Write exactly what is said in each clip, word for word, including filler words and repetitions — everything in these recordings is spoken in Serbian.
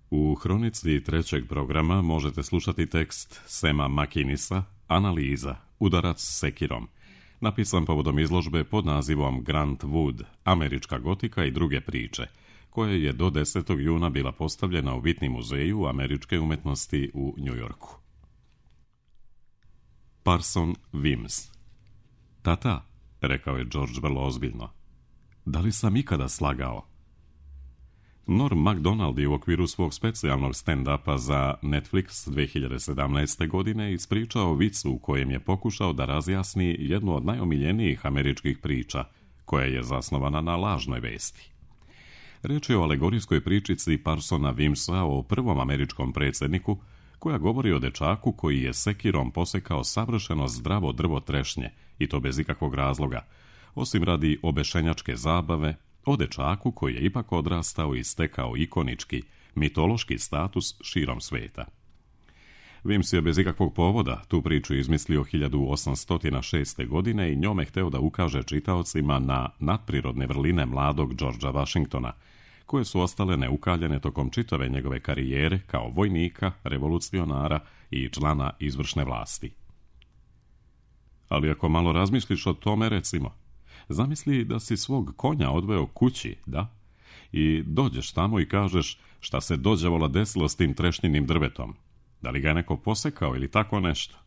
U hronici trećeg programa možete slušati tekst Sema Makinisa, Analiza, udarac s sekirom, napisan povodom izložbe pod nazivom Grant Wood, Američka gotika i druge priče, koja je do desetog juna bila postavljena u Whitney muzeju američke umetnosti u New Yorku. Parson Weems. Tata, rekao je George vrlo ozbiljno, da li sam ikada slagao? Norm Macdonald je u okviru svog specijalnog stand-upa za Netflix dvije hiljade sedamnaeste. godine ispričao vic u kojem je pokušao da razjasni jednu od najomiljenijih američkih priča, koja je zasnovana na lažnoj vesti. Reč je o alegorijskoj pričici Parsona Weemsa o prvom američkom predsjedniku, koja govori o dečaku koji je sekirom posekao savršeno zdravo drvo trešnje, i to bez ikakvog razloga, osim radi obešenjačke zabave, o dečaku koji je ipak odrastao i stekao ikonički, mitološki status širom sveta. Weems je bez ikakvog povoda tu priču izmislio hiljadu osamsto šeste. godine i njome hteo da ukaže čitaocima na nadprirodne vrline mladog Georgea Washingtona, koje su ostale neukaljene tokom čitave njegove karijere kao vojnika, revolucionara i člana izvršne vlasti. Ali ako malo razmisliš o tome, recimo, zamisli da si svog konja odveo kući, da? I dođeš tamo i kažeš šta se dođavola desilo s tim trešnjinim drvetom. Da li ga je neko posekao ili tako nešto?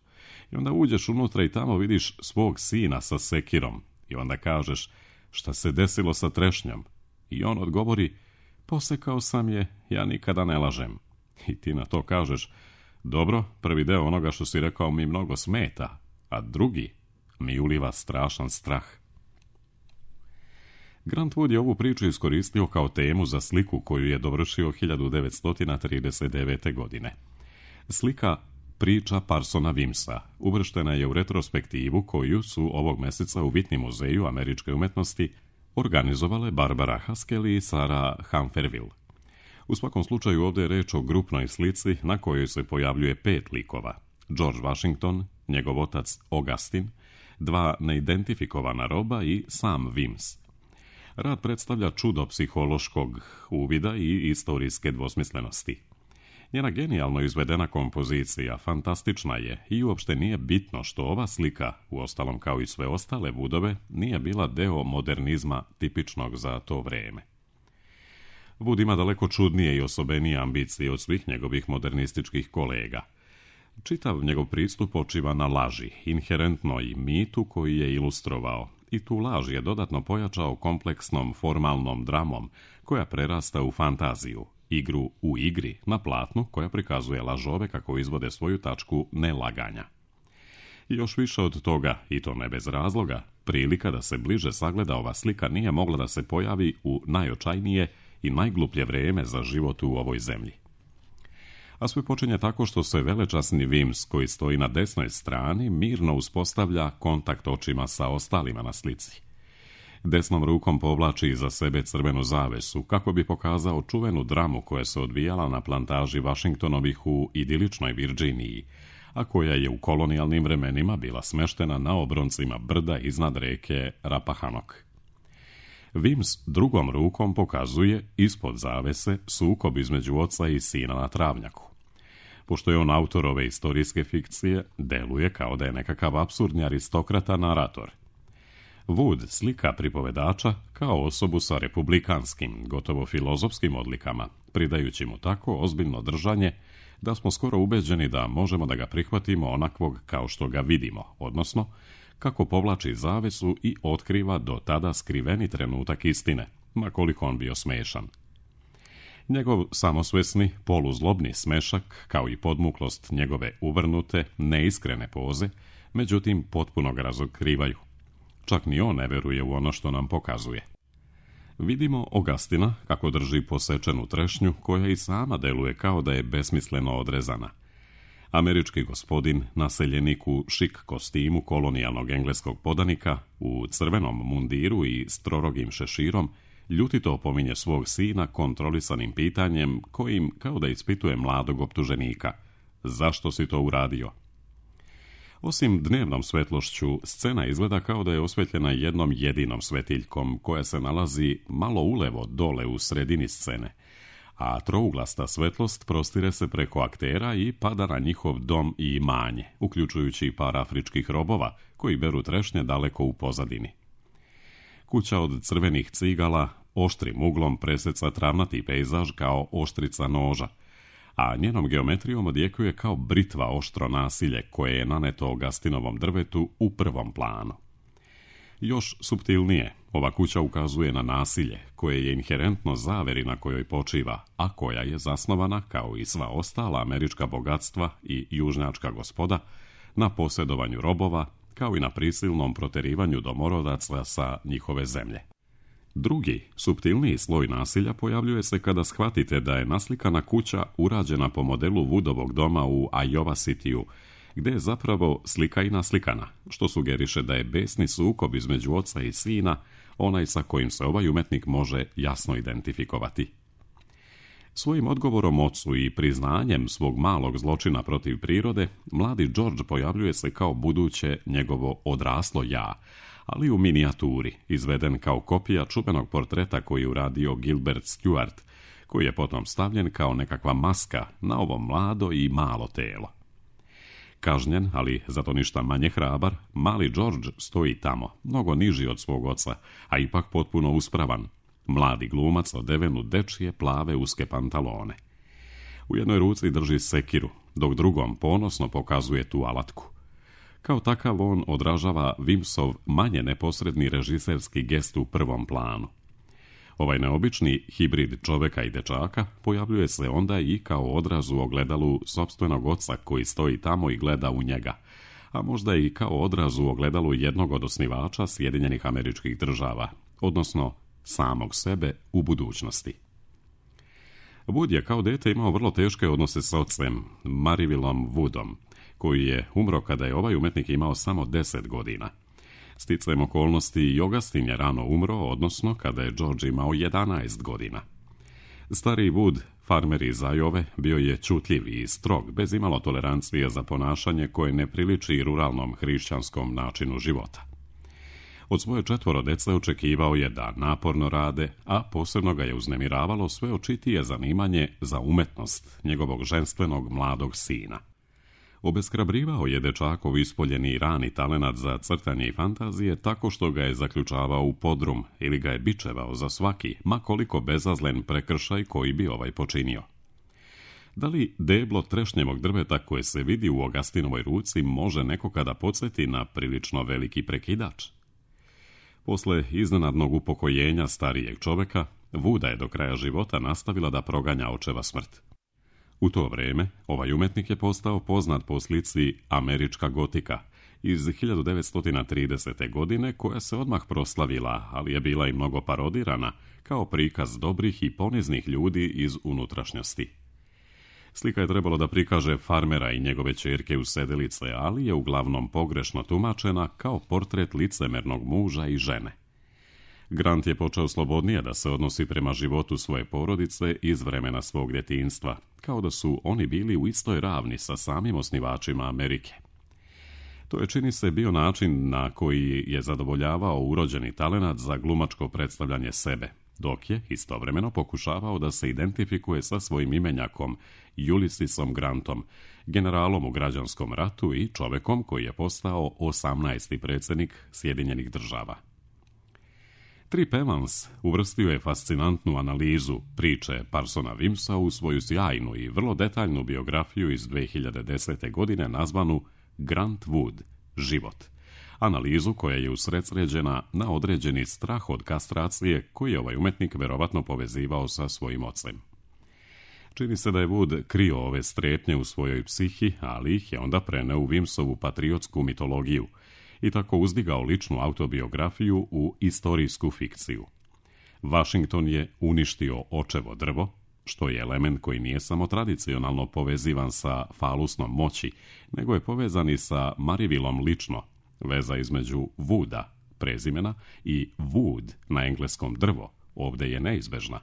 I onda uđeš unutra i tamo vidiš svog sina sa sekirom. I onda kažeš šta se desilo sa trešnjom. I on odgovori, posekao sam je, ja nikada ne lažem. I ti na to kažeš, dobro, prvi deo onoga što si rekao mi mnogo smeta, a drugi mi uliva strašan strah. Grant Wood je ovu priču iskoristio kao temu za sliku koju je dovršio hiljadu devetsto trideset devete. godine. Slika Priča Parsona Weemsa uvrštena je u retrospektivu koju su ovog meseca u Whitney muzeju američke umetnosti organizovale Barbara Haskell i Sarah Humphreys. U svakom slučaju ovdje je reč o grupnoj slici na kojoj se pojavljuje pet likova. George Washington, njegov otac Augustin, dva neidentifikovana roba i sam Weems. Rad predstavlja čudo psihološkog uvida i istorijske dvosmislenosti. Njena genijalno izvedena kompozicija fantastična je i uopšte nije bitno što ova slika, uostalom kao i sve ostale Woodove, nije bila deo modernizma tipičnog za to vrijeme. Wood ima daleko čudnije i osobenije ambicije od svih njegovih modernističkih kolega. Čitav njegov pristup počiva na laži, inherentnoj mitu koji je ilustrovao, i tu laž je dodatno pojačao kompleksnom formalnom dramom koja prerasta u fantaziju, igru u igri na platnu koja prikazuje lažove kako izvode svoju tačku nelaganja. I još više od toga, i to ne bez razloga, prilika da se bliže sagleda ova slika nije mogla da se pojavi u najočajnije i najgluplje vrijeme za život u ovoj zemlji. A sve počinje tako što se velečasni Weems, koji stoji na desnoj strani, mirno uspostavlja kontakt očima sa ostalima na slici. Desnom rukom povlači iza sebe crvenu zavesu, kako bi pokazao čuvenu dramu koja se odvijala na plantaži Washingtonovih u idiličnoj Virginiji, a koja je u kolonijalnim vremenima bila smeštena na obroncima brda iznad reke Rappahannock. Weems drugom rukom pokazuje, ispod zavese, sukob između oca i sina na travnjaku. Pošto je on autor ove istorijske fikcije, deluje kao da je nekakav apsurdni aristokrata narator. Wood slika pripovedača kao osobu sa republikanskim, gotovo filozofskim odlikama, pridajući mu tako ozbiljno držanje da smo skoro ubeđeni da možemo da ga prihvatimo onakvog kao što ga vidimo, odnosno kako povlači zavesu i otkriva do tada skriveni trenutak istine, ma koliko on bio smešan. Njegov samosvesni, poluzlobni smešak, kao i podmuklost njegove uvrnute, neiskrene poze, međutim potpuno ga razotkrivaju. Čak ni on ne veruje u ono što nam pokazuje. Vidimo Augustina kako drži posečenu trešnju koja i sama deluje kao da je besmisleno odrezana. Američki gospodin, naseljenik u šik kostimu kolonijalnog engleskog podanika, u crvenom mundiru i strorogim šeširom, ljutito opominje svog sina kontrolisanim pitanjem kojim kao da ispituje mladog optuženika. Zašto si to uradio? Osim dnevnom svetlošću, scena izgleda kao da je osvetljena jednom jedinom svetiljkom koja se nalazi malo ulevo dole u sredini scene, a trouglasta svetlost prostire se preko aktera i pada na njihov dom i imanje, uključujući i par afričkih robova koji beru trešnje daleko u pozadini. Kuća od crvenih cigala oštrim uglom preseca travnati pejzaž kao oštrica noža, a njenom geometrijom odjekuje kao britva oštro nasilje koje je naneto Augustinovom drvetu u prvom planu. Još suptilnije, ova kuća ukazuje na nasilje, koje je inherentno zaveri na kojoj počiva, a koja je zasnovana, kao i sva ostala američka bogatstva i južnjačka gospoda, na posjedovanju robova, kao i na prisilnom proterivanju domorodaca sa njihove zemlje. Drugi, suptilniji sloj nasilja pojavljuje se kada shvatite da je naslikana kuća urađena po modelu Woodovog doma u Iowa Cityu, gde je zapravo slika i naslikana, što sugeriše da je besni sukob između oca i sina onaj sa kojim se ovaj umetnik može jasno identifikovati. Svojim odgovorom ocu i priznanjem svog malog zločina protiv prirode, mladi George pojavljuje se kao buduće njegovo odraslo ja, ali u minijaturi, izveden kao kopija čuvenog portreta koji je uradio Gilbert Stuart, koji je potom stavljen kao nekakva maska na ovo mlado i malo telo. Kažnjen, ali zato ništa manje hrabar, mali George stoji tamo, mnogo niži od svog oca, a ipak potpuno uspravan. Mladi glumac odeven u dečije plave uske pantalone. U jednoj ruci drži sekiru, dok drugom ponosno pokazuje tu alatku. Kao takav on odražava Wimsov manje neposredni režiserski gest u prvom planu. Ovaj neobični hibrid čoveka i dečaka pojavljuje se onda i kao odraz u ogledalu sopstvenog oca koji stoji tamo i gleda u njega, a možda i kao odraz u ogledalu jednog od osnivača Sjedinjenih Američkih Država, odnosno samog sebe u budućnosti. Wood je kao dete imao vrlo teške odnose s ocem, Marivillom Woodom, koji je umro kada je ovaj umetnik imao samo deset godina. Sticajem okolnosti i Augustin je rano umro, odnosno kada je George imao jedanaest godina. Stari Wood, farmer iz Iowe, bio je čutljiv i strog, bez imalo tolerancije za ponašanje koje ne priliči ruralnom hrišćanskom načinu života. Od svoje četvoro dece očekivao je da naporno rade, a posebno ga je uznemiravalo sve očitije zanimanje za umetnost njegovog ženstvenog mladog sina. Obeshrabrivao je dečakov ispoljeni rani talenat za crtanje i fantazije tako što ga je zaključavao u podrum ili ga je bičevao za svaki, ma koliko bezazlen prekršaj koji bi ovaj počinio. Da li deblo trešnjevog drveta koje se vidi u Augustinovoj ruci može neko kada podsjeti na prilično veliki prekidač? Posle iznenadnog upokojenja starijeg čoveka, Wooda je do kraja života nastavila da proganja očeva smrt. U to vrijeme, ovaj umetnik je postao poznat po slici Američka gotika iz hiljadu devetsto tridesete. godine, koja se odmah proslavila, ali je bila i mnogo parodirana, kao prikaz dobrih i poniznih ljudi iz unutrašnjosti. Slika je trebalo da prikaže farmera i njegove ćerke u sedelice, ali je uglavnom pogrešno tumačena kao portret licemernog muža i žene. Grant je počeo slobodnije da se odnosi prema životu svoje porodice iz vremena svog djetinjstva, kao da su oni bili u istoj ravni sa samim osnivačima Amerike. To je, čini se, bio način na koji je zadovoljavao urođeni talenat za glumačko predstavljanje sebe, dok je istovremeno pokušavao da se identifikuje sa svojim imenjakom Ulyssesom Grantom, generalom u građanskom ratu i čovekom koji je postao osamnaesti predsjednik Sjedinjenih Država. Trip Evans uvrstio je fascinantnu analizu priče Parsona Wimsa u svoju sjajnu i vrlo detaljnu biografiju iz dve hiljade desete. godine nazvanu Grant Wood – život. Analizu koja je usredsređena na određeni strah od kastracije koji je ovaj umetnik verovatno povezivao sa svojim ocem. Čini se da je Wood krio ove strepnje u svojoj psihi, ali ih je onda preneo u Wimsovu patriotsku mitologiju i tako uzdigao ličnu autobiografiju u istorijsku fikciju. Washington je uništio očevo drvo, što je element koji nije samo tradicionalno povezivan sa falusnom moći, nego je povezan i sa Marivillom lično. Veza između Wooda, prezimena, i wood na engleskom drvo ovdje je neizbežna.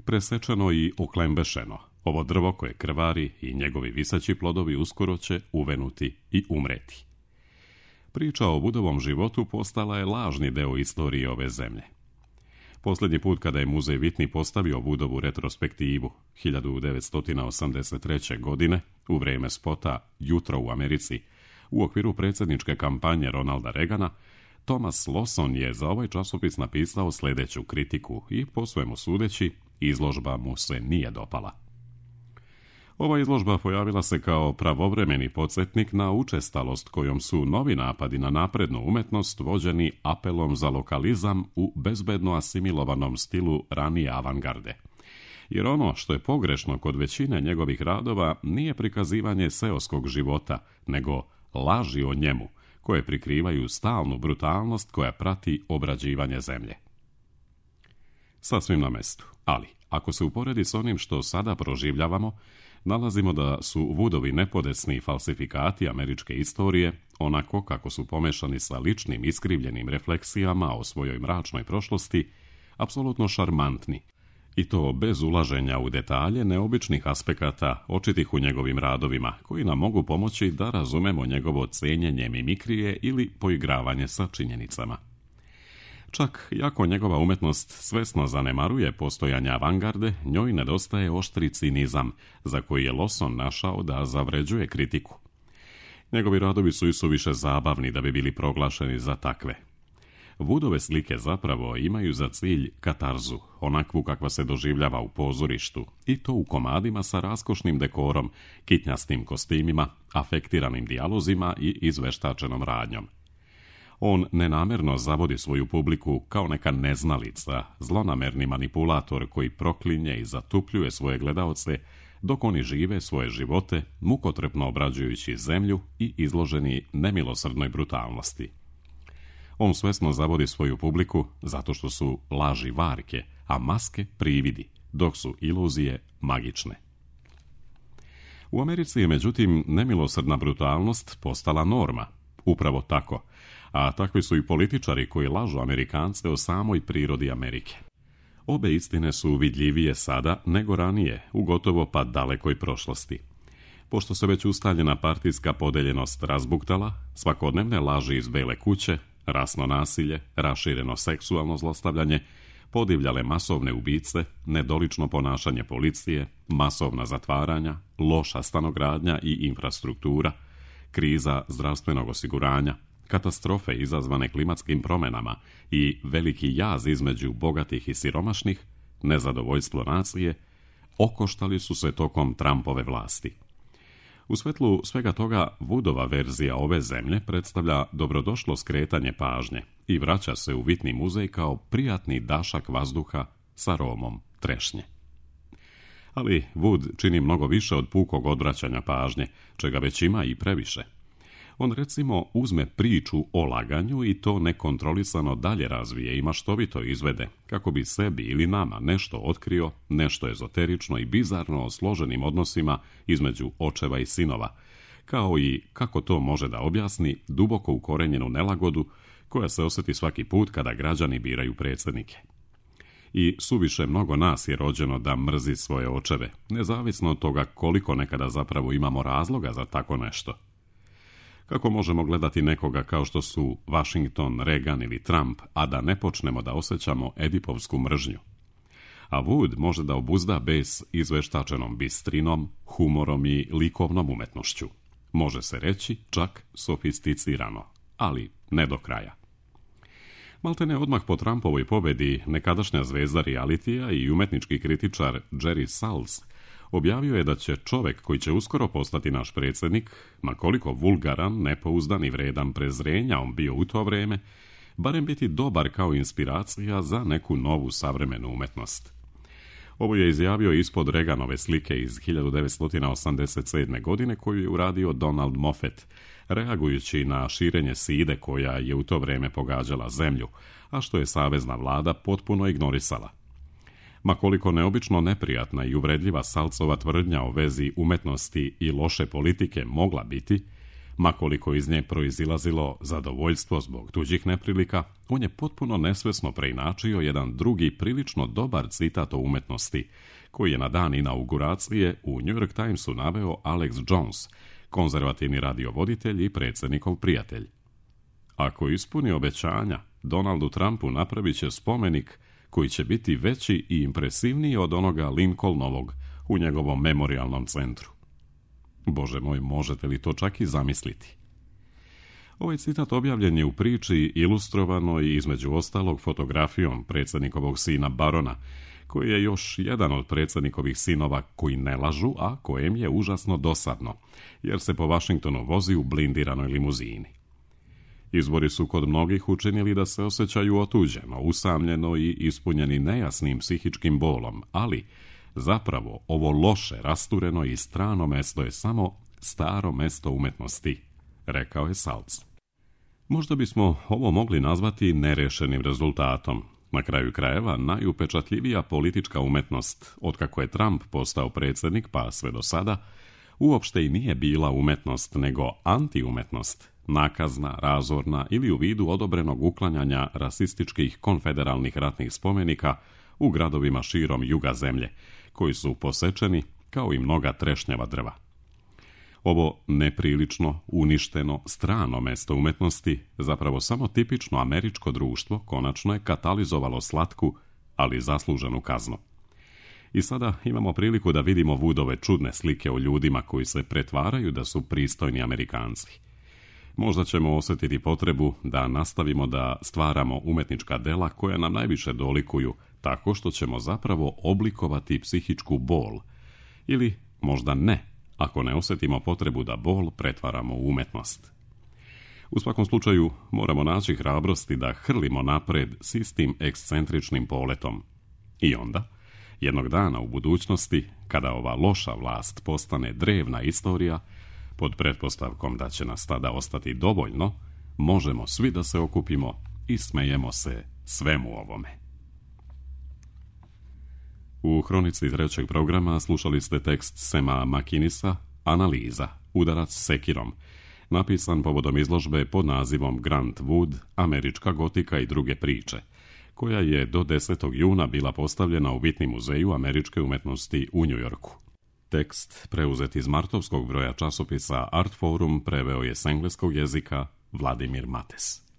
Presečeno i oklembešeno, ovo drvo koje krvari i njegovi viseći plodovi uskoro će uvenuti i umreti. Priča o Woodovom životu postala je lažni deo istorije ove zemlje. Posljednji put kada je muzej Whitney postavio Woodovu retrospektivu hiljadu devetsto osamdeset treće. godine u vrijeme spota Jutro u Americi u okviru predsjedničke kampanje Ronalda Reagana, Thomas Lawson je za ovaj časopis napisao sljedeću kritiku i, po svemu sudeći, izložba mu se nije dopala. Ova izložba pojavila se kao pravovremeni podsjetnik na učestalost kojom su novi napadi na naprednu umetnost vođeni apelom za lokalizam u bezbedno asimilovanom stilu ranije avangarde. Jer ono što je pogrešno kod većine njegovih radova nije prikazivanje seoskog života, nego laži o njemu, koje prikrivaju stalnu brutalnost koja prati obrađivanje zemlje. Sasvim na mestu, ali ako se uporedi s onim što sada proživljavamo, nalazimo da su Woodovi nepodesni falsifikati američke istorije, onako kako su pomešani sa ličnim iskrivljenim refleksijama o svojoj mračnoj prošlosti, apsolutno šarmantni, i to bez ulaženja u detalje neobičnih aspekata očitih u njegovim radovima, koji nam mogu pomoći da razumemo njegovo cenjenje mimikrije ili poigravanje sa činjenicama. Čak, iako njegova umetnost svesno zanemaruje postojanje avangarde, njoj nedostaje oštri cinizam, za koji je Lawson našao da zavređuje kritiku. Njegovi radovi su isuviše zabavni da bi bili proglašeni za takve. Woodove slike zapravo imaju za cilj katarzu, onakvu kakva se doživljava u pozorištu, i to u komadima sa raskošnim dekorom, kitnjastim kostimima, afektiranim dijalozima i izveštačenom radnjom. On nenamjerno zavodi svoju publiku kao neka neznalica, zlonamerni manipulator koji proklinje i zatupljuje svoje gledaoce, dok oni žive svoje živote, mukotrpno obrađujući zemlju i izloženi nemilosrdnoj brutalnosti. On svesno zavodi svoju publiku zato što su laži varke, a maske prividi, dok su iluzije magične. U Americi je, međutim, nemilosrdna brutalnost postala norma. Upravo tako, a takvi su i političari koji lažu Amerikance o samoj prirodi Amerike. Obe istine su vidljivije sada nego ranije, u gotovo pa dalekoj prošlosti. Pošto se već ustaljena partijska podeljenost razbuktala, svakodnevne laži iz Bele kuće, rasno nasilje, rašireno seksualno zlostavljanje, podivljale masovne ubice, nedolično ponašanje policije, masovna zatvaranja, loša stanogradnja i infrastruktura, kriza zdravstvenog osiguranja, katastrofe izazvane klimatskim promjenama i veliki jaz između bogatih i siromašnih, nezadovoljstvo nacije, okoštali su se tokom Trumpove vlasti. U svetlu svega toga, Woodova verzija ove zemlje predstavlja dobrodošlo skretanje pažnje i vraća se u Whitney muzej kao prijatni dašak vazduha s aromom trešnje. Ali Wood čini mnogo više od pukog odvraćanja pažnje, čega već ima i previše. On, recimo, uzme priču o laganju i to nekontrolisano dalje razvije i maštovito izvede, kako bi sebi ili nama nešto otkrio, nešto ezoterično i bizarno o složenim odnosima između očeva i sinova, kao i kako to može da objasni duboko ukorenjenu nelagodu koja se osjeti svaki put kada građani biraju predsjednike. I suviše mnogo nas je rođeno da mrzi svoje očeve, nezavisno od toga koliko nekada zapravo imamo razloga za tako nešto. Kako možemo gledati nekoga kao što su Washington, Reagan ili Trump, a da ne počnemo da osjećamo edipovsku mržnju? A Wood može da obuzda bes izveštačenom bistrinom, humorom i likovnom umetnošću. Može se reći čak sofisticirano, ali ne do kraja. Maltene odmah po Trumpovoj pobedi nekadašnja zvezda realitija i umetnički kritičar Jerry Salz objavio je da će čovjek koji će uskoro postati naš predsjednik, ma koliko vulgaran, nepouzdan i vredan prezrenja on bio u to vrijeme, barem biti dobar kao inspiracija za neku novu savremenu umetnost. Ovo je izjavio ispod Reaganove slike iz hiljadu devetsto osamdeset sedme. godine koju je uradio Donald Moffett, reagujući na širenje side koja je u to vrijeme pogađala zemlju, a što je savezna vlada potpuno ignorisala. Ma koliko neobično neprijatna i uvredljiva Salcova tvrdnja o vezi umetnosti i loše politike mogla biti, ma koliko iz nje proizilazilo zadovoljstvo zbog tuđih neprilika, on je potpuno nesvesno preinačio jedan drugi prilično dobar citat o umetnosti, koji je na dan inauguracije u New York Timesu naveo Alex Jones, konzervativni radiovoditelj i predsjednikov prijatelj. Ako ispuni obećanja, Donaldu Trumpu napravit će spomenik koji će biti veći i impresivniji od onoga Lincolnovog u njegovom memorijalnom centru. Bože moj, možete li to čak i zamisliti? Ovaj citat objavljen je u priči ilustrovanoj i između ostalog fotografijom predsjednikovog sina Barona, koji je još jedan od predsjednikovih sinova koji ne lažu, a kojem je užasno dosadno, jer se po Washingtonu vozi u blindiranoj limuzini. Izbori su kod mnogih učinili da se osjećaju otuđeno, usamljeno i ispunjeni nejasnim psihičkim bolom, ali zapravo ovo loše, rastureno i strano mesto je samo staro mesto umetnosti, rekao je Salz. Možda bismo ovo mogli nazvati nerešenim rezultatom. Na kraju krajeva, najupečatljivija politička umetnost, otkako je Trump postao predsjednik pa sve do sada, uopšte i nije bila umetnost, nego antiumetnost, nakazna, razorna ili u vidu odobrenog uklanjanja rasističkih konfederalnih ratnih spomenika u gradovima širom juga zemlje, koji su posečeni kao i mnoga trešnjava drva. Ovo neprilično, uništeno, strano mesto umetnosti, zapravo samo tipično američko društvo, konačno je katalizovalo slatku, ali zasluženu kaznu. I sada imamo priliku da vidimo Woodove čudne slike o ljudima koji se pretvaraju da su pristojni Amerikanci. Možda ćemo osjetiti potrebu da nastavimo da stvaramo umetnička dela koja nam najviše dolikuju, tako što ćemo zapravo oblikovati psihičku bol. Ili možda ne, ako ne osjetimo potrebu da bol pretvaramo u umetnost. U svakom slučaju moramo naći hrabrosti da hrlimo napred s istim ekscentričnim poletom. I onda, jednog dana u budućnosti, kada ova loša vlast postane drevna istorija, pod pretpostavkom da će nas tada ostati dovoljno, možemo svi da se okupimo i smejemo se svemu ovome. U hronici trećeg programa slušali ste tekst Sema Makinisa, Analiza, udarac sekirom, napisan povodom izložbe pod nazivom Grant Wood, Američka gotika i druge priče, koja je do desetog juna bila postavljena u Whitney muzeju američke umetnosti u Njujorku. Tekst, preuzet iz martovskog broja časopisa Art Forum, preveo je s engleskog jezika Vladimir Mates.